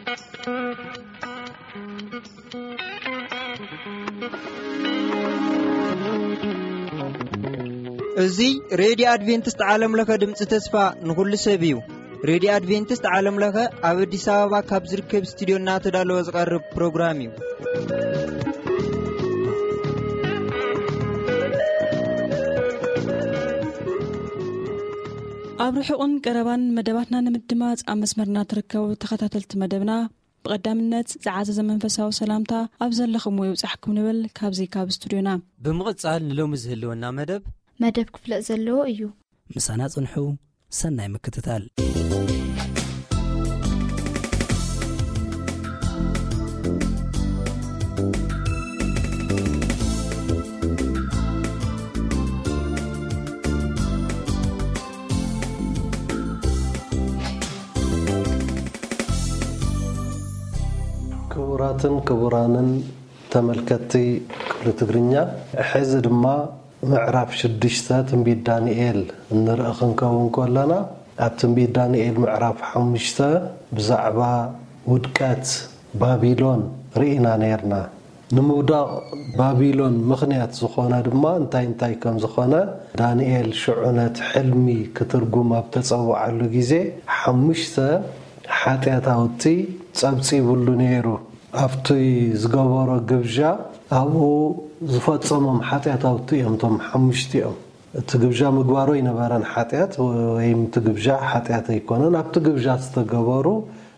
እዚ ሬድዮ ኣድቬንቲስት ዓለም ለኸ ድምፂ ተስፋ ንኹሉ ሰብ እዩ። ሬድዮ ኣድቬንቲስት ዓለም ለኸ ኣብ ኣዲስ ኣበባ ካብ ዝርከብ ስቱዲዮ እናተዳለወ ዝቐርብ ፕሮግራም እዩ። ኣብ ርሑቕን ቀረባን መደባትና ንምድማፅ ኣብ መስመርና ትርከቡ ተኸታተልቲ መደብና፣ ብቐዳምነት ዝዓዘዘ መንፈሳዊ ሰላምታ ኣብ ዘለኹምዎ ይብጻሕኩም ንብል ካብዚ ካብ ስቱዲዮና። ብምቕጻል ንሎሚ ዝህልወና መደብ መደብ ክፍለጥ ዘለዎ እዩ። ምሳና ጽንሑ፣ ሰናይ ምክትታል። ክቡራትን ክቡራንን ተመልከትቲ ክፍሊ ትግርኛ፣ ሕዚ ድማ ምዕራፍ ሽዱሽተ ትንቢት ዳንኤል እንርኢ ክንከውን ከለና፣ ኣብ ትንቢት ዳንኤል ምዕራፍ ሓሙሽተ ብዛዕባ ውድቀት ባቢሎን ርኢና ነይርና። ንምውዳቕ ባቢሎን ምኽንያት ዝኾነ ድማ እንታይ እንታይ ከም ዝኾነ ዳንኤል ሽዑ ነቲ ሕልሚ ክትርጉም ኣብ ተጸውዓሉ ግዜ፣ ሓሙሽተ ሓጢኣታውቲ ጸብጺቡሉ ነይሩ። ኣብቲ ዝገበሮ ግብዣ ኣብኡ ዝፈጸሞም ሓጢኣታውቲ እዮም፣ እቶም ሓሙሽቲኦም። እቲ ግብዣ ምግባሩ ኣይነበረን ሓጢኣት፣ ወይም እቲ ግብዣ ሓጢኣት ኣይኮነን። ኣብቲ ግብዣ ዝተገበሩ፣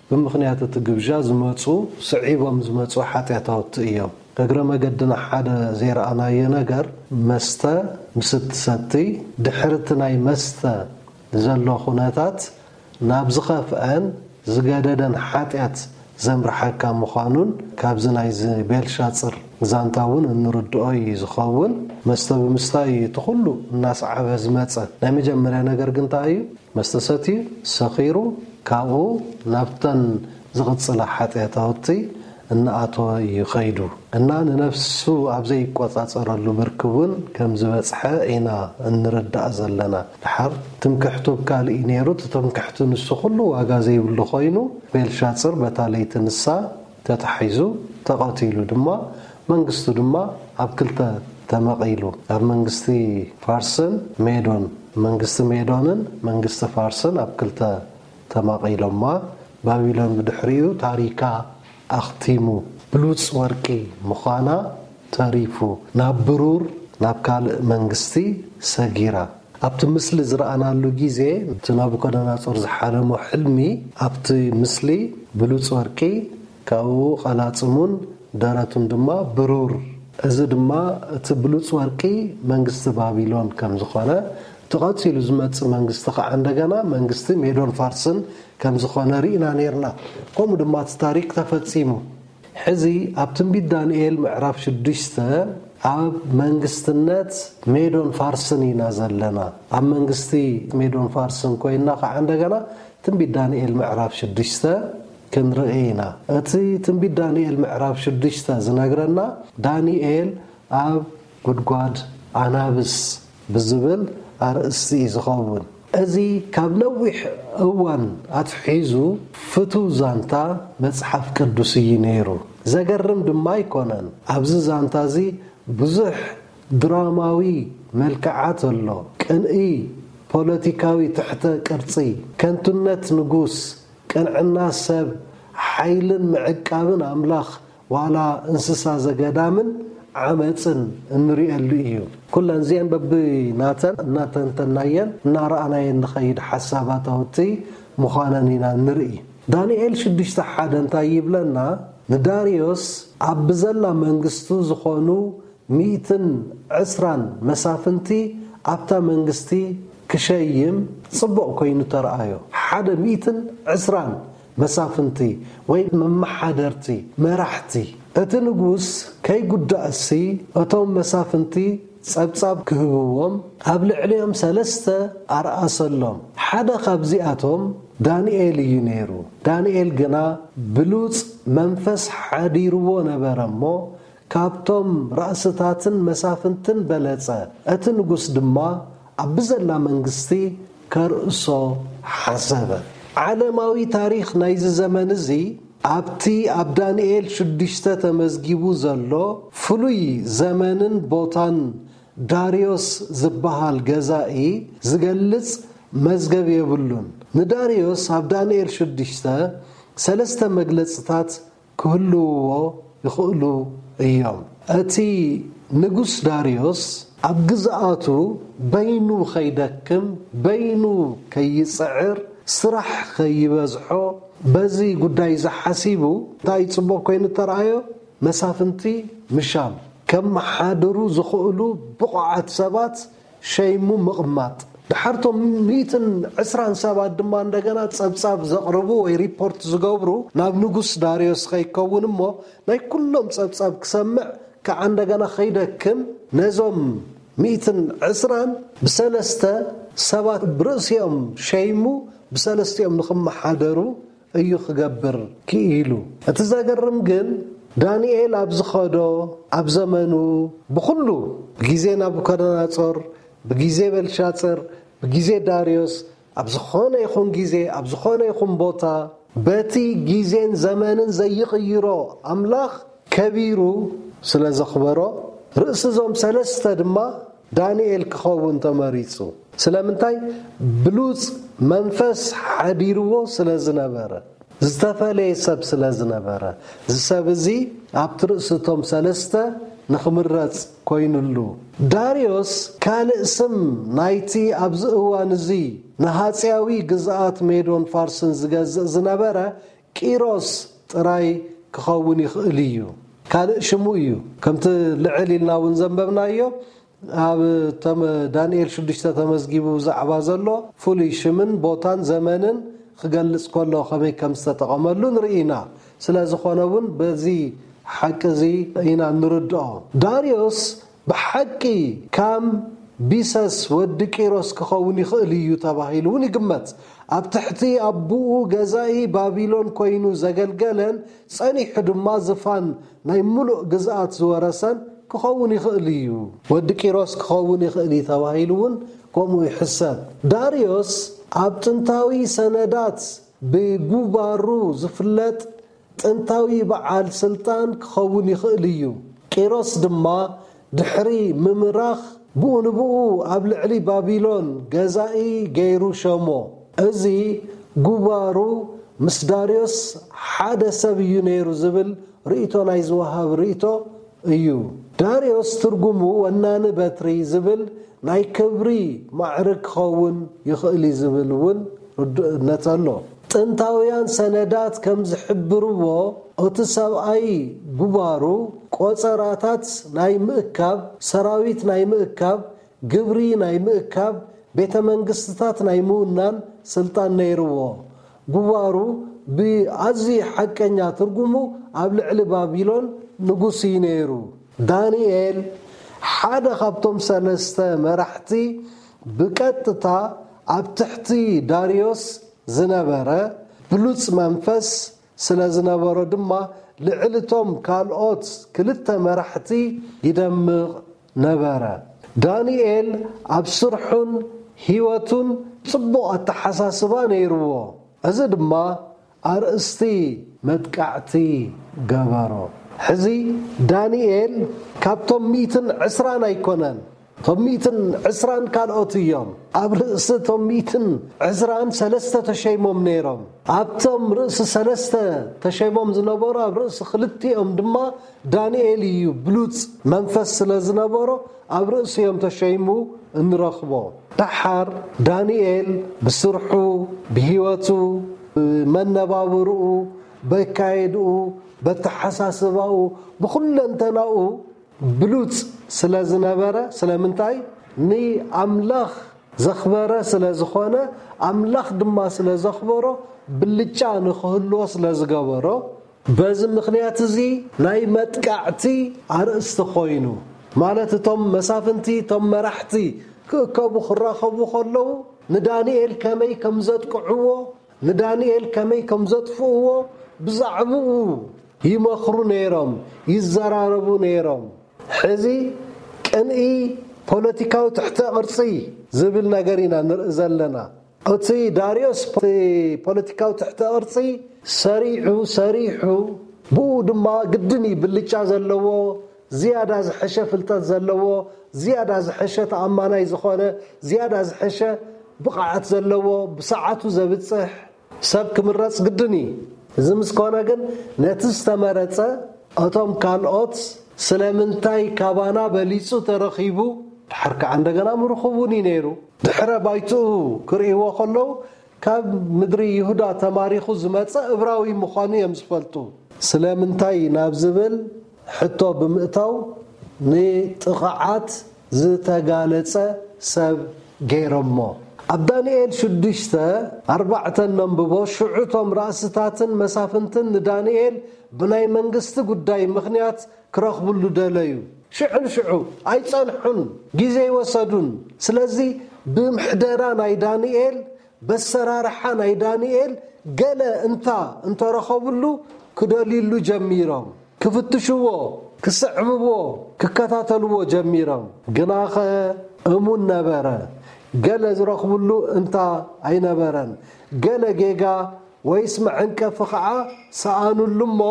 ብምኽንያት እቲ ግብዣ ዝመጹ፣ ስዒቦም ዝመጹ ሓጢኣታውቲ እዮም። እግረ መገድና ሓደ ዘይረኣናዮ ነገር፣ መስተ ምስ እትሰቲ፣ ድሕሪ እቲ ናይ መስተ ዘሎ ኩነታት ናብ ዝኸፍአን ዝገደደን ሓጢኣት ዘምርሓካ ምዃኑን ካብዚ ናይዚ ቤልሻጽር ዛንታ እውን እንርድኦ እዩ ዝኸውን። መስተ ብምስታይ እቲ ኩሉ እናሰዓበ ዝመጸ ናይ መጀመርያ ነገር ግን እንታይ እዩ? መስተ ሰትዩ፣ ሰኺሩ፣ ካብኡ ናብተን ዝቕጽላ ሓጢኣታውቲ እናኣተወ እዩ ኸይዱ። እና ንነፍሱ ኣብ ዘይቆጻጸረሉ ብርኪ እውን ከም ዝበጽሐ ኢና እንርዳእ ዘለና። ድሓር ትምክሕቱ ኣብ ካልእ እዩ ነይሩ። እቲ ትምክሕቱ ንሱ ኩሉ ዋጋ ዘይብሉ ኮይኑ፣ ቤልሻጽር በታ ለይቲ ንሳ ተታሒዙ ተቐቲሉ ድማ፣ መንግስቱ ድማ ኣብ ክልተ ተመቒሉ። ኣብ መንግስቲ ፋርስን ሜዶን፣ መንግስቲ ሜዶንን መንግስቲ ፋርስን ኣብ ክልተ ተማቒሎማ። ባቢሎን ብድሕሪኡ ታሪካ ኣኽቲሙ። ብሉጽ ወርቂ ምዃና ተሪፉ፣ ናብ ብሩር፣ ናብ ካልእ መንግስቲ ሰጊራ። ኣብቲ ምስሊ ዝረኣናሉ ግዜ፣ እቲ ናቡከደነጾር ዝሓለሞ ሕልሚ፣ ኣብቲ ምስሊ ብሉጽ ወርቂ፣ ካብኡ ቀላጽሙን ደረቱን ድማ ብሩር። እዚ ድማ እቲ ብሉጽ ወርቂ መንግስቲ ባቢሎን ከም ዝኾነ፣ እቲ ቀጺሉ ዝመጽእ መንግስቲ ከዓ እንደገና መንግስቲ ሜዶን ፋርስን ከም ዝኾነ ርኢና ነይርና። ከምኡ ድማ እቲ ታሪክ ተፈጺሙ። ሕዚ ኣብ ትንቢት ዳንኤል ምዕራፍ ሽዱሽተ ኣብ መንግስትነት ሜዶን ፋርስን ኢና ዘለና። ኣብ መንግስቲ ሜዶን ፋርስን ኮይና ከዓ እንደገና ትንቢት ዳንኤል ምዕራፍ ሽዱሽተ ክንርኢ ኢና። እቲ ትንቢት ዳንኤል ምዕራፍ ሽዱሽተ ዝነግረና፣ ዳንኤል ኣብ ጉድጓድ ኣናብስ ብዝብል ኣርእስቲ እዩ ዝኸውን። እዚ ካብ ነዊሕ እዋን ኣትሒዙ ፍቱው ዛንታ መጽሓፍ ቅዱስ እዩ ነይሩ። ዘገርም ድማ ኣይኮነን። ኣብዚ ዛንታ እዚ ብዙሕ ድራማዊ መልክዓት ኣሎ። ቅንኢ፣ ፖለቲካዊ ትሕተ ቅርጺ፣ ከንቱነት ንጉስ፣ ቅንዕና ሰብ፣ ሓይልን ምዕቃብን ኣምላኽ፣ ዋላ እንስሳ ዘገዳምን ዓመጽን እንርእየሉ እዩ። ኩለን እዚአን በብናተን እናተንተናየን እናረኣናየን ንኸይድ ሓሳባታውቲ ምዃነን ኢና ንርኢ። ዳንኤል ሽዱሽተ ሓደ እንታይ ይብለና? ንዳርዮስ ኣብ ብዘላ መንግስቱ ዝኾኑ ሚእትን ዕስራን መሳፍንቲ ኣብታ መንግስቲ ክሸይም ጽቡቕ ኮይኑ ተረኣዮ። ሓደ ሚእትን ዕስራን መሳፍንቲ ወይ መመሓደርቲ፣ መራሕቲ። እቲ ንጉስ ከይጉዳእሲ እቶም መሳፍንቲ ጸብጻብ ክህብዎም ኣብ ልዕሊኦም ሰለስተ ኣርኣሰሎም። ሓደ ካብዚኣቶም ዳንኤል እዩ ነይሩ። ዳንኤል ግና ብሉጽ መንፈስ ሓዲርዎ ነበረ እሞ፣ ካብቶም ራእስታትን መሳፍንትን በለጸ። እቲ ንጉስ ድማ ኣብ ብዘላ መንግስቲ ከርእሶ ሓሰበ። ዓለማዊ ታሪኽ ናይዚ ዘመን እዚ ኣብቲ ኣብ ዳንኤል ሽዱሽተ ተመዝጊቡ ዘሎ ፍሉይ ዘመንን ቦታን ዳርዮስ ዝበሃል ገዛኢ ዝገልጽ መዝገብ የብሉን። ንዳርዮስ ኣብ ዳንኤል ሽዱሽተ ሰለስተ መግለጽታት ክህልውዎ ይኽእሉ እዮም። እቲ ንጉስ ዳርዮስ ኣብ ግዝኣቱ በይኑ ከይደክም፣ በይኑ ከይጽዕር፣ ስራሕ ከይበዝሖ፣ በዚ ጉዳይ ዝሓሲቡ እንታይ ጽቡቕ ኮይኑ ተረኣዮ? መሳፍንቲ ምሻም፣ ከመሓድሩ ዝኽእሉ ብቑዓት ሰባት ሸይሙ ምቕማጥ። ድሓርቶም ሚእትን ዕስራን ሰባት ድማ እንደገና ጸብጻብ ዘቕርቡ ወይ ሪፖርት ዝገብሩ ናብ ንጉስ ዳርዮስ ከይከውን እሞ ናይ ኩሎም ጸብጻብ ክሰምዕ ከዓ እንደገና ከይደክም ነዞም ሚእትን ዕስራን ብሰለስተ ሰባት ብርእሲኦም ሸይሙ ብሰለስቲኦም ንኽመሓደሩ እዩ ክገብር ክኢሉ። እቲ ዘገርም ግን ዳንኤል ኣብ ዝኸዶ ኣብ ዘመኑ ብኹሉ ብግዜ ናቡከደነጾር፣ ብግዜ በልሻጽር፣ ብግዜ ዳርዮስ ኣብ ዝኾነ ይኹን ግዜ ኣብ ዝኾነ ይኹን ቦታ በቲ ግዜን ዘመንን ዘይቕይሮ ኣምላኽ ከቢሩ ስለ ዘኽበሮ ርእሲ እዞም ሰለስተ ድማ ዳንኤል ክኸውን ተመሪጹ። ስለምንታይ? ብሉጽ መንፈስ ሓዲርዎ ስለ ዝነበረ፣ ዝተፈለየ ሰብ ስለ ዝነበረ፣ እዚ ሰብ እዚ ኣብቲ ርእሲ እቶም ሰለስተ ንኽምረጽ ኮይኑሉ። ዳርዮስ ካልእ ስም ናይቲ ኣብዚ እዋን እዚ ንሃጽያዊ ግዝኣት ሜዶን ፋርስን ዝገዝእ ዝነበረ ቂሮስ ጥራይ ክኸውን ይኽእል እዩ። ካልእ ሽሙ እዩ። ከምቲ ልዕል ኢልና እውን ዘንበብናዮ ኣብ ተመ- ዳንኤል ሽዱሽተ ተመዝጊቡ ብዛዕባ ዘሎ ፍሉይ ሽምን ቦታን ዘመንን ክገልጽ ከሎ ከመይ ከም ዝተጠቐመሉ ንርኢ ኢና። ስለ ዝኾነ እውን በዚ ሓቂ እዚ ኢና ንርድኦ። ዳርዮስ ብሓቂ ካም ቢሰስ ወዲ ቂሮስ ክኸውን ይኽእል እዩ ተባሂሉ እውን ይግመት። ኣብ ትሕቲ ኣቦኡ ገዛኢ ባቢሎን ኮይኑ ዘገልገለን ጸኒሑ ድማ ዝፋን ናይ ምሉእ ግዝኣት ዝወረሰን ክኸውን ይኽእል እዩ። ወዲ ቂሮስ ክኸውን ይኽእል እዩ ተባሂሉ እውን ከምኡ ይሕሰብ። ዳርዮስ ኣብ ጥንታዊ ሰነዳት ብጉባሩ ዝፍለጥ ጥንታዊ በዓል ስልጣን ክኸውን ይኽእል እዩ። ቂሮስ ድማ ድሕሪ ምምራኽ ብኡ ንብኡ ኣብ ልዕሊ ባቢሎን ገዛኢ ገይሩ ሸሞ። እዚ ጉባሩ ምስ ዳርዮስ ሓደ ሰብ እዩ ነይሩ ዝብል ርእይቶ ናይ ዝወሃብ ርእይቶ እዩ። ዳርዮስ ትርጉሙ ወናኒ በትሪ ዝብል ናይ ክብሪ ማዕርግ ክኸውን ይኽእል እዩ ዝብል እውን ርዱእነት ኣሎ። ጥንታውያን ሰነዳት ከም ዝሕብርዎ፣ እቲ ሰብኣይ ጉባሩ ቆጸራታት ናይ ምእካብ፣ ሰራዊት ናይ ምእካብ፣ ግብሪ ናይ ምእካብ፣ ቤተ መንግስትታት ናይ ምውናን ስልጣን ነይርዎ። ጉባሩ ብኣዝዩ ሓቀኛ ትርጉሙ ኣብ ልዕሊ ባቢሎን ንጉስ እዩ ነይሩ። ዳንኤል ሓደ ካብቶም ሰለስተ መራሕቲ ብቀጥታ ኣብ ትሕቲ ዳርዮስ ዝነበረ ብሉጽ መንፈስ ስለ ዝነበሮ ድማ ልዕሊ እቶም ካልኦት ክልተ መራሕቲ ይደምቕ ነበረ። ዳንኤል ኣብ ስርሑን ህይወቱን ጽቡቕ ኣተሓሳስባ ነይርዎ። እዚ ድማ ኣርእስቲ መጥቃዕቲ ገበሮ። ሕዚ ዳንኤል ካብቶም ሚእትን ዕስራን ኣይኮነን። እቶም ሚእትን ዕስራን ካልኦት እዮም። ኣብ ርእሲ እቶም ሚእትን ዕስራን ሰለስተ ተሸይሞም ነይሮም። ኣብቶም ርእሲ ሰለስተ ተሸይሞም ዝነበሩ ኣብ ርእሲ ክልቲኦም ድማ ዳንኤል እዩ ብሉጽ መንፈስ ስለ ዝነበሮ ኣብ ርእሲኦም ተሸይሙ እንረኽቦ። ደሓር ዳንኤል ብስርሑ፣ ብህይወቱ፣ ብመነባብርኡ፣ በካየድኡ፣ በተሓሳስባኡ፣ ብኹለንተናኡ ብሉጽ ስለ ዝነበረ፣ ስለምንታይ? ንኣምላኽ ዘኽበረ ስለ ዝኾነ፣ ኣምላኽ ድማ ስለ ዘኽበሮ፣ ብልጫ ንኽህልዎ ስለ ዝገበሮ፣ በዚ ምኽንያት እዚ ናይ መጥቃዕቲ ኣርእስቲ ኮይኑ፣ ማለት እቶም መሳፍንቲ፣ እቶም መራሕቲ ክእከቡ ክራኸቡ ከለዉ፣ ንዳንኤል ከመይ ከም ዘጥቅዕዎ፣ ንዳንኤል ከመይ ከም ዘጥፍእዎ ብዛዕባኡ ይመኽሩ ነይሮም፣ ይዘራረቡ ነይሮም። ሕዚ ቅንኢ ፖለቲካዊ ትሕተ ቅርጺ ዝብል ነገር ኢና ንርኢ ዘለና። እቲ ዳርዮስ ፖ- ፖለቲካዊ ትሕተ ቅርጺ ሰሪዑ ሰሪሑ፣ ብኡ ድማ ግድን እዩ ብልጫ ዘለዎ፣ ዝያዳ ዝሐሸ ፍልጠት ዘለዎ፣ ዝያዳ ዝሐሸ ተኣማናይ ዝኾነ፣ ዝያዳ ዝሐሸ ብቕዓት ዘለዎ፣ ብሰዓቱ ዘብጽሕ ሰብ ክምረጽ ግድን እዩ። እዚ ምስ ኮነ ግን ነቲ ዝተመረጸ እቶም ካልኦት ስለምንታይ ካባና በሊጹ ተረኺቡ፣ ድሓር ከዓ እንደገና ምርኹቡን እዩ ነይሩ። ድሕረ ባይትኡ ክርእይዎ ከለዉ ካብ ምድሪ ይሁዳ ተማሪኹ ዝመጸ እብራዊ ምዃኑ እዮም ዝፈልጡ። ስለምንታይ ናብ ዝብል ሕቶ ብምእታው ንጥቕዓት ዝተጋለጸ ሰብ ገይሮሞ። ኣብ ዳንኤል ሽዱሽተ ኣርባዕተ ነንብቦ፣ ሽዑ እቶም ራእስታትን መሳፍንትን ንዳንኤል ብናይ መንግስቲ ጉዳይ ምኽንያት ክረኽብሉ ደለዩ። ሽዑ ንሽዑ ኣይጸንሑን፣ ግዜ ይወሰዱን። ስለዚ ብምሕደራ ናይ ዳንኤል፣ በሰራርሓ ናይ ዳንኤል ገለ እንታ እንተረኸብሉ ክደልዩሉ ጀሚሮም። ክፍትሽዎ፣ ክስዕብዎ፣ ክከታተልዎ ጀሚሮም። ግናኸ እሙን ነበረ። ገለ ዝረኽብሉ እንታ ኣይነበረን። ገለ ጌጋ ወይስ መዐንቀፊ ኸዓ ሰኣኑሉ እሞ፣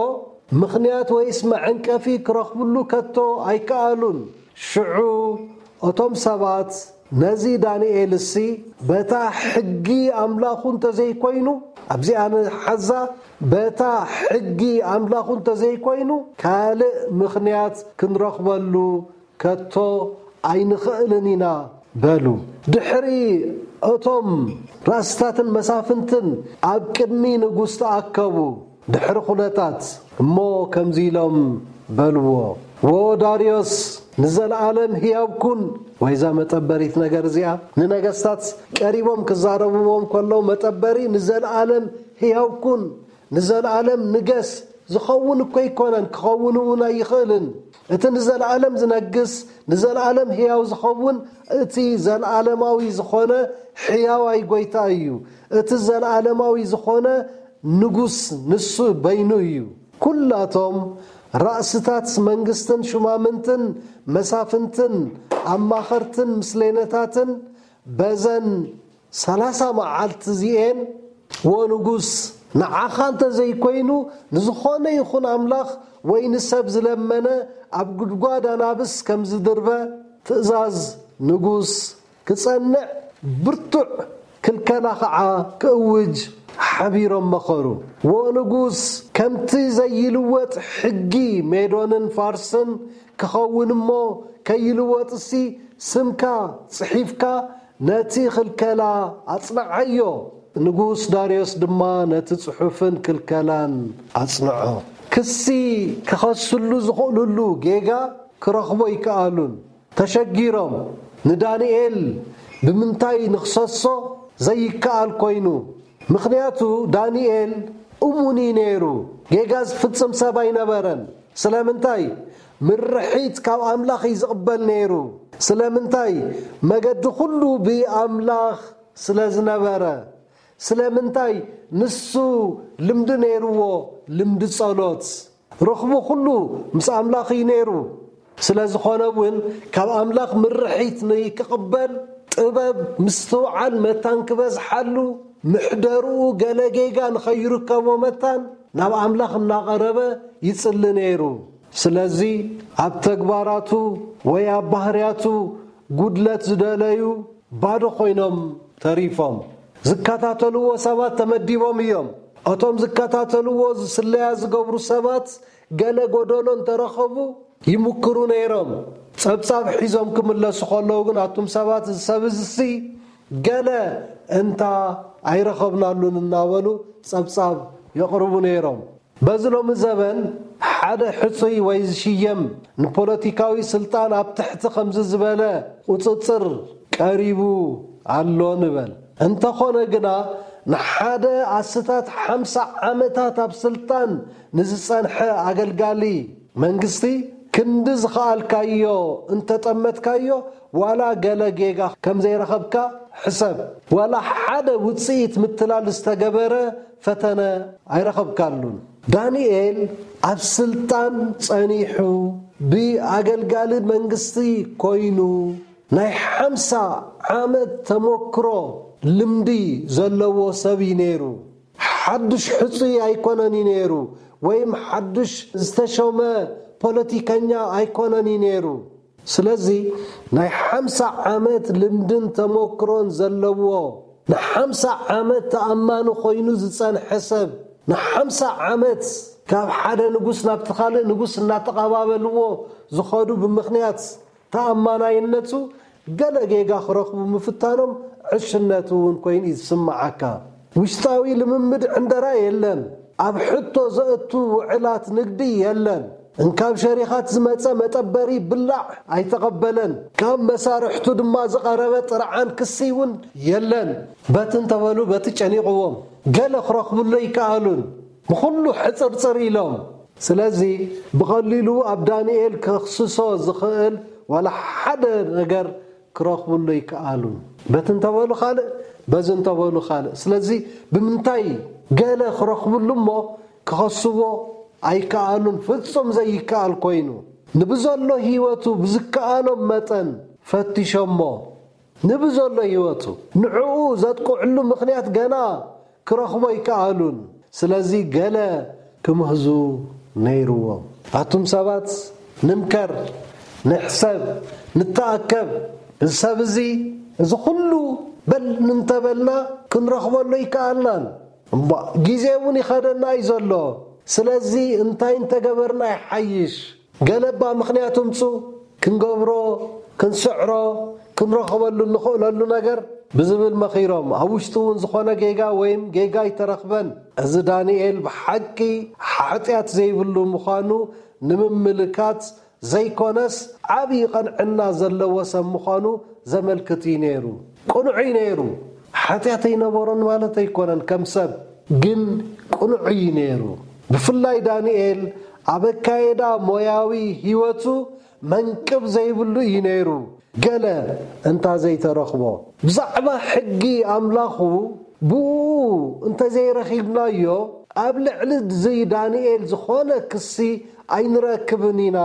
ምኽንያት ወይስ መዐንቀፊ ክረኽብሉ ከቶ ኣይከኣሉን። ሽዑ እቶም ሰባት ነዚ ዳንኤልሲ በታ ሕጊ ኣምላኹ እንተዘይኮይኑ፣ ኣብዚኣ ንሓዛ፣ በታ ሕጊ ኣምላኹ እንተዘይኮይኑ ካልእ ምኽንያት ክንረኽበሉ ከቶ ኣይንኽእልን ኢና በሉ። ድሕሪ እቶም ራእስታትን መሳፍንትን ኣብ ቅድሚ ንጉስ ተኣከቡ። ድሕሪ ኩነታት እሞ ከምዚ ኢሎም በልዎ፣ "ወ ዳርዮስ ንዘለኣለም ህያው ኩን!" ወይዛ መጠበሪት ነገር እዚኣ ንነገስታት ቀሪቦም ክዛረብዎም ከለዉ፣ መጠበሪ ንዘለኣለም ህያው ኩን፣ ንዘለኣለም ንገስ፣ ዝኸውን እኮ ኣይኮነን፣ ክኸውን እውን ኣይኽእልን። እቲ ንዘለኣለም ዝነግስ፣ ንዘለኣለም ህያው ዝኸውን እቲ ዘለኣለማዊ ዝኾነ ሕያዋይ ጎይታ እዩ። እቲ ዘለኣለማዊ ዝኾነ ንጉስ ንሱ በይኑ እዩ። ኩላቶም ራእስታት መንግስትን ሹማምንትን መሳፍንትን ኣማኸርትን ምስሌነታትን በዘን ሰላሳ መዓልቲ እዚኤን፣ "ወ ንጉስ፣ ንዓኻ እንተ ዘይኮይኑ ንዝኾነ ይኹን ኣምላኽ ወይ ንሰብ ዝለመነ ኣብ ጉድጓድ ኣናብስ ከም ዝድርበ ትእዛዝ ንጉስ ክጸንዕ ብርቱዕ ክልከላ ኸዓ ክእውጅ ሓቢሮም መኸሩ። ወ ንጉስ፣ ከምቲ ዘይልወጥ ሕጊ ሜዶንን ፋርስን ክኸውን እሞ፣ ከይልወጥሲ ስምካ ጽሒፍካ ነቲ ክልከላ ኣጽንዓዮ።" ንጉስ ዳርዮስ ድማ ነቲ ጽሑፍን ክልከላን ኣጽንዖ። ክሲ ክኸስሉ ዝኽእሉሉ ጌጋ ክረኽቦ ኣይከኣሉን። ተሸጊሮም፣ ንዳንኤል ብምንታይ ንኽሰሶ ዘይከኣል ኮይኑ። ምኽንያቱ ዳንኤል እሙን እዩ ነይሩ። ጌጋ ዝፍጽም ሰብ ኣይነበረን። ስለምንታይ? ምርሒት ካብ ኣምላኽ እዩ ዝቕበል ነይሩ። ስለምንታይ? መገዲ ኩሉ ብኣምላኽ ስለ ዝነበረ። ስለምንታይ? ንሱ ልምዲ ነይርዎ፣ ልምዲ ጸሎት። ርኽቡ ኩሉ ምስ ኣምላኽ እዩ ነይሩ። ስለ ዝኾነ እውን ካብ ኣምላኽ ምርሒት ንክቕበል ጥበብ፣ ምስትውዓል፣ መታን ክበዝሓሉ፣ ምሕደርኡ ገለ ጌጋ ንኸይርከቦ መታን ናብ ኣምላኽ እናቐረበ ይጽሊ ነይሩ። ስለዚ ኣብ ተግባራቱ ወይ ኣብ ባህርያቱ ጉድለት ዝደለዩ ባዶ ኮይኖም ተሪፎም። ዝከታተልዎ ሰባት ተመዲቦም እዮም። እቶም ዝከታተልዎ ስለያ ዝገብሩ ሰባት ገለ ጎደሎ እንተረኸቡ ይምክሩ ነይሮም። ጸብጻብ ሒዞም ክምለሱ ከለዉ ግን ኣቱም ሰባት እዚ ሰብ እዚሲ ገለ እንታ ኣይረኸብናሉን እናበሉ ጸብጻብ የቕርቡ ነይሮም። በዚ ሎሚ ዘበን ሓደ ሕጹይ ወይ ዝሽየም ንፖለቲካዊ ስልጣን ኣብ ትሕቲ ከምዚ ዝበለ ቁጽጽር ቀሪቡ ኣሎ ንበል። እንተኾነ ግና ንሓደ ኣስታት ሓምሳ ዓመታት ኣብ ስልጣን ንዝጸንሐ ኣገልጋሊ መንግስቲ ክንዲ ዝኸኣልካዮ እንተጠመትካዮ ዋላ ገለ ጌጋ ከም ዘይረኸብካ ሕሰብ። ዋላ ሓደ ውጽኢት ምትላል ዝተገበረ ፈተነ ኣይረኸብካሉን። ዳንኤል ኣብ ስልጣን ጸኒሑ ብኣገልጋሊ መንግስቲ ኮይኑ ናይ ሓምሳ ዓመት ተመክሮ ልምዲ ዘለዎ ሰብ እዩ ነይሩ። ሓዱሽ ሕጹይ ኣይኮነን እዩ ነይሩ፣ ወይም ሓዱሽ ዝተሾመ ፖለቲከኛ ኣይኮነን እዩ ነይሩ። ስለዚ ናይ ሓምሳ ዓመት ልምድን ተመክሮን ዘለዎ፣ ንሓምሳ ዓመት ተኣማኒ ኮይኑ ዝጸንሐ ሰብ፣ ንሓምሳ ዓመት ካብ ሓደ ንጉስ ናብቲ ካልእ ንጉስ እናተቐባበልዎ ዝኸዱ ብምኽንያት ተኣማናይነቱ ገለ ጌጋ ክረኽቡ ምፍታኖም ዕሽነት እውን ኮይኑ ይስምዓካ። ውሽጣዊ ልምምድ ዕንደራ የለን። ኣብ ሕቶ ዘእቱ ውዕላት ንግዲ የለን። እንካብ ሸሪኻት ዝመጸ መጠበሪ ብላዕ ኣይተቐበለን። ካብ መሳርሕቱ ድማ ዝቐረበ ጥርዓን ክሲ እውን የለን። በቲ እንተበሉ በቲ ጨኒቕዎም። ገለ ክረኽብሉ ኣይከኣሉን። ብኹሉ ሕጽርጽር ኢሎም። ስለዚ ብቐሊሉ ኣብ ዳንኤል ከኽስሶ ዝኽእል ዋላ ሓደ ነገር ክረኽብሉ ኣይከኣሉን። በቲ እንተበሉ ካልእ፣ በዚ እንተበሉ ካልእ። ስለዚ ብምንታይ ገለ ክረኽብሉ እሞ ክኸስዎ ኣይከኣሉን፣ ፍጹም ዘይከኣል ኮይኑ። ንብዘሎ ህይወቱ ብዝከኣሎም መጠን ፈቲሾሞ። ንብዘሎ ህይወቱ ንዕኡ ዘጥቅዕሉ ምኽንያት ገና ክረኽቦ ኣይከኣሉን። ስለዚ ገለ ክምህዙ ነይርዎም። ኣቱም ሰባት፣ ንምከር፣ ንሕሰብ፣ ንተኣከብ። እዚ ሰብ እዚ፣ እዚ ኩሉ በል እንተበልና ክንረኽበሉ ኣይከኣልናን። እምቧእ፣ ግዜ እውን ይኸደና እዩ ዘሎ። ስለዚ እንታይ እንተገበርና ይሓይሽ? ገለ እባ ምኽንያት እምጹ፣ ክንገብሮ፣ ክንስዕሮ፣ ክንረኽበሉ እንኽእለሉ ነገር ብዝብል መኺሮም። ኣብ ውሽጡ እውን ዝኾነ ጌጋ ወይም ጌጋ ኣይተረኽበን። እዚ ዳንኤል ብሓቂ ሓጢኣት ዘይብሉ ምዃኑ ንምምልካት ዘይኮነስ፣ ዓብዪ ቐንዕና ዘለዎ ሰብ ምዃኑ ዘመልክት እዩ ነይሩ። ቅኑዕ እዩ ነይሩ። ሓጢኣት ኣይነበሮን ማለት ኣይኮነን፣ ከም ሰብ ግን ቅኑዕ እዩ ነይሩ። ብፍላይ ዳንኤል ኣብ ኣካየዳ ሞያዊ ህይወቱ መንቅብ ዘይብሉ እዩ ነይሩ። ገለ እንታ ዘይተረኽቦ፣ ብዛዕባ ሕጊ ኣምላኹ ብኡ እንተዘይረኺብናዮ፣ ኣብ ልዕሊ እዚ ዳንኤል ዝኾነ ክሲ ኣይንረክብን ኢና።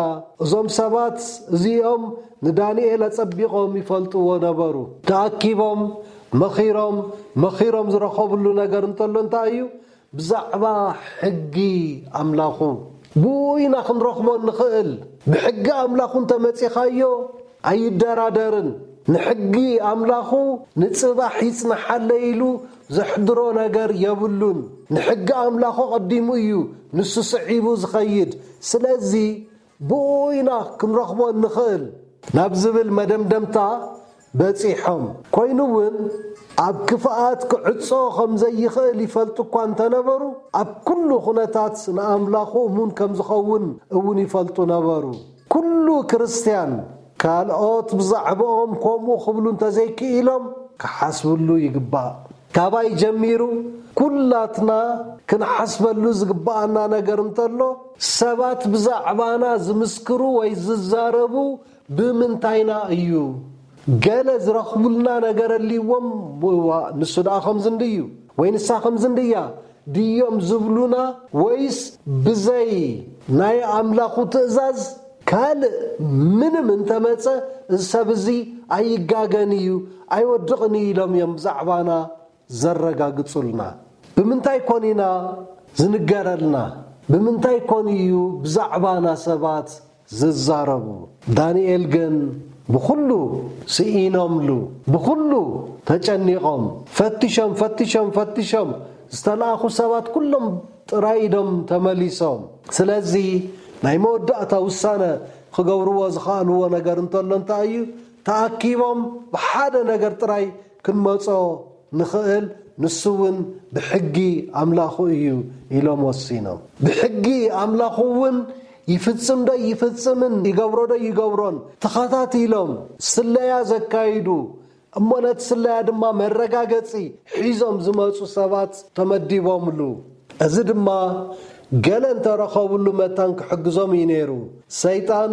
እዞም ሰባት እዚኦም ንዳንኤል ኣጸቢቖም ይፈልጥዎ ነበሩ። ተኣኪቦም፣ መኺሮም፣ መኺሮም ዝረኸብሉ ነገር እንተሎ እንታይ እዩ? ብዛዕባ ሕጊ ኣምላኹ። ብኡ ኢና ክንረኽቦ እንኽእል። ብሕጊ ኣምላኹ እንተመጺኻዮ፣ ኣይደራደርን። ንሕጊ ኣምላኹ ንጽባሕ ይጽንሓለይ ኢሉ ዘሕድሮ ነገር የብሉን። ንሕጊ ኣምላኹ ቀዲሙ እዩ፣ ንሱ ስዒቡ ዝኸይድ። ስለዚ ብኡ ኢና ክንረኽቦ እንኽእል ናብ ዝብል መደምደምታ በጺሖም። ኮይኑ እውን ኣብ ክፍኣት ክዕጾ ከም ዘይኽእል ይፈልጡ እኳ እንተነበሩ፣ ኣብ ኩሉ ኩነታት ንኣምላኹ እሙን ከም ዝኸውን እውን ይፈልጡ ነበሩ። ኩሉ ክርስትያን ካልኦት ብዛዕባኦም ከምኡ ክብሉ እንተዘይክኢሎም ክሓስብሉ ይግባእ። ካባይ ጀሚሩ ኩላትና ክንሓስበሉ ዝግባኣና ነገር እንተሎ፣ ሰባት ብዛዕባና ዝምስክሩ ወይ ዝዛረቡ ብምንታይና እዩ? ገለ ዝረኽቡልና ነገር ኣልዎም፣ "ዋ፣ ንሱ ደኣ ከምዚ እንድዩ ወይ ንሳ ከምዚ እንድያ" ድዮም ዝብሉና? ወይስ ብዘይ ናይ ኣምላኹ ትእዛዝ ካልእ ምንም እንተመጸ፣ እዚ ሰብ እዚ ኣይጋገን እዩ፣ ኣይወድቕን እዩ ኢሎም እዮም ብዛዕባና ዘረጋግጹልና? ብምንታይ ኮን ኢና ዝንገረልና? ብምንታይ ኮን እዩ ብዛዕባና ሰባት ዝዛረቡ? ዳንኤል ግን ብኹሉ ስኢኖምሉ፣ ብኹሉ ተጨኒቖም፣ ፈቲሾም፣ ፈቲሾም፣ ፈቲሾም፣ ዝተላእኹ ሰባት ኩሎም ጥራይ ኢዶም ተመሊሶም። ስለዚ ናይ መወዳእታ ውሳነ ክገብርዎ ዝኸኣልዎ ነገር እንተሎ እንታይ እዩ? ተኣኪቦም ብሓደ ነገር ጥራይ ክንመጾ ንኽእል፣ ንሱ እውን ብሕጊ ኣምላኹ እዩ ኢሎም ወሲኖም። ብሕጊ ኣምላኹ እውን ይፍጽም ዶ ይፍጽምን፣ ይገብሮ ዶ ይገብሮን ተኸታቲሎም ስለያ ዘካይዱ፣ እሞ ነቲ ስለያ ድማ መረጋገጺ ሒዞም ዝመጹ ሰባት ተመዲቦምሉ። እዚ ድማ ገለ እንተረኸብሉ መታን ክሕግዞም እዩ ነይሩ። ሰይጣን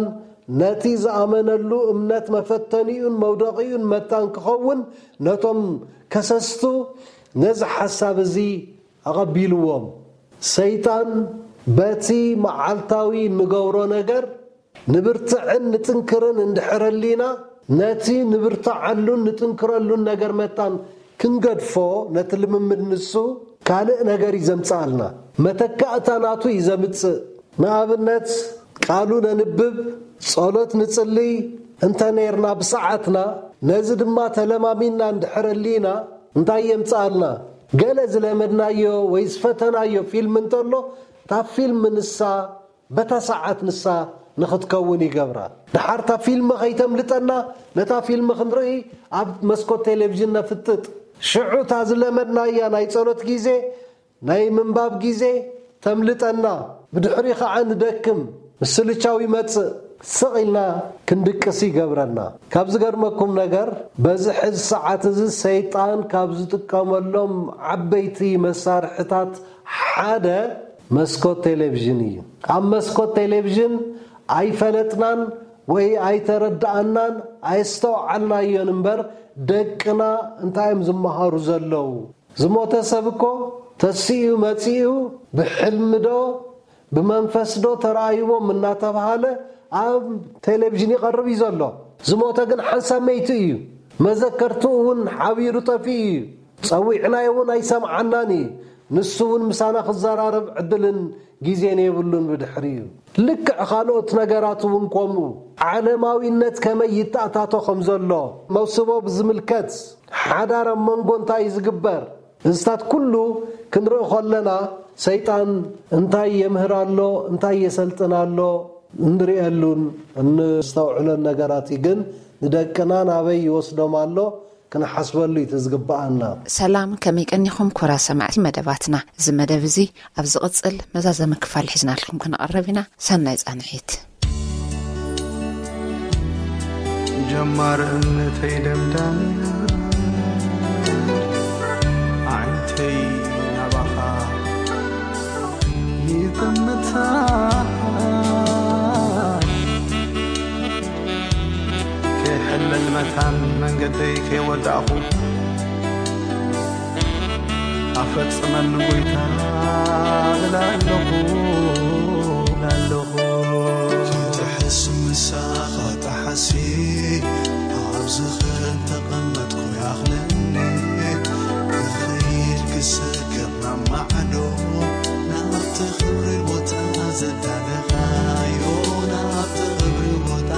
ነቲ ዝኣመነሉ እምነት መፈተኒኡን መውደቒኡን መታን ክኸውን፣ ነቶም ከሰስቱ ነዚ ሓሳብ እዚ ኣቐቢልዎም። ሰይጣን በቲ መዓልታዊ እንገብሮ ነገር ንብርትዕን ንጥንክርን እንድሕር ኣሊና፣ ነቲ ንብርትዓሉን ንጥንክረሉን ነገር መታን ክንገድፎ፣ ነቲ ልምምድ ንሱ ካልእ ነገር እዩ ዘምጽኣልና። መተካእታ ናቱ እዩ ዘምጽእ። ንኣብነት፣ ቃሉ ነንብብ፣ ጸሎት ንጽልይ እንተ ኔርና ብሰዓትና፣ ነዚ ድማ ተለማሚና እንድሕር ኣሊና፣ እንታይ የምጽኣልና? ገለ ዝለመድናዮ ወይ ዝፈተናዮ ፊልም እንተሎ፣ እታ ፊልም ንሳ በታ ሰዓት ንሳ ንኽትከውን ይገብራ። ደሓር እታ ፊልም ኸይተምልጠና፣ ነታ ፊልም ክንርኢ ኣብ መስኮት ቴሌቪዥን ነፍጥጥ። ሽዑ እታ ዝለመድናያ ናይ ጸሎት ግዜ፣ ናይ ምንባብ ግዜ ተምልጠና። ብድሕሪ ኸዓ ንደክም፣ ምስልቻው ይመጽእ። ስቕ ኢልና ክንድቅስ ይገብረና። ካብ ዝገርመኩም ነገር፣ በዚ ሕዚ ሰዓት እዚ ሰይጣን ካብ ዝጥቀመሎም ዓበይቲ መሳርሕታት ሓደ መስኮት ቴሌቪዥን እዩ። ኣብ መስኮት ቴሌቪዥን ኣይፈለጥናን ወይ ኣይተረዳኣናን፣ ኣየስተውዓልናዮን እምበር፣ ደቅና እንታይ እዮም ዝመሃሩ ዘለዉ? ዝሞተ ሰብ እኮ ተሲኡ መጺኡ፣ ብሕልሚ ዶ ብመንፈስ ዶ ተራእይዎም እናተባሃለ ኣብ ቴሌቪዥን ይቐርብ እዩ ዘሎ። ዝሞተ ግን ሓንሳብ መይቱ እዩ። መዘከርትኡ እውን ሓቢሩ ጠፊኡ እዩ። ጸዊዕናዮ እውን ኣይሰምዓናን እዩ። ንሱ እውን ምሳና ክዘራረብ ዕድልን ግዜን የብሉን። ብድሕሪኡ ልክዕ ካልኦት ነገራት እውን ከምኡ። ዓለማዊነት ከመይ ይተኣታቶ ከም ዘሎ፣ መውስቦ ብዝምልከት፣ ሓዳር ኣብ መንጎ እንታይ እዩ ዝግበር፣ እዝታት ኩሉ ክንርኢ ከለና፣ ሰይጣን እንታይ የምህር ኣሎ፣ እንታይ የሰልጥን ኣሎ፣ እንርእየሉን እንስተውዕሎን ነገራት እዩ። ግን ንደቅና ናበይ ይወስዶም ኣሎ፣ ክንሓስበሉ እዩ እቲ ዝግብኣና። ሰላም፣ ከመይ ቀኒኹም ክቡራት ሰማዕቲ መደባትና? እዚ መደብ እዚ ኣብ ዝቕጽል መዛዘሚ ክፋል ሒዝናልኩም ክንቐርብ ኢና። ሰናይ ጻንሒት። ጀማር እምነተይ ደምዳም ኣዒንተይ ናባኻ ይጥምታ። ከይሕለል መታን መንገደይ ከይወዳእኹ ኣፈጽመኒ ጎይታ እብል ኣለኹ፣ እብል ኣለኹ። ትሕስ ምሳኻ ጠሓሲ ኣብ ዝኽእል ተቐመጥኩ ይኣኽለኒ። ክኸይድ ክሰግር ናብ ማዕዶ ናብቲ ክብሪ ቦታ ዘዳለኻዮ፣ ናብቲ ክብሪ ቦታ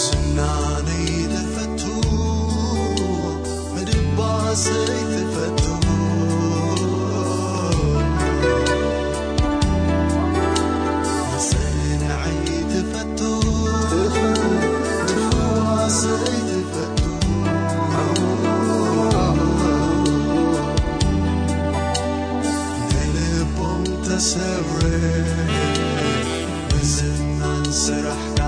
ዝናነይ ትፈቱ፣ ምድባሰይ ትፈቱ፣ መሰንዐይ ትፈቱ፣ ምፍዋሰይ ትፈቱ። ንልቦም ተሰብረ ብዝናን ስራሕካ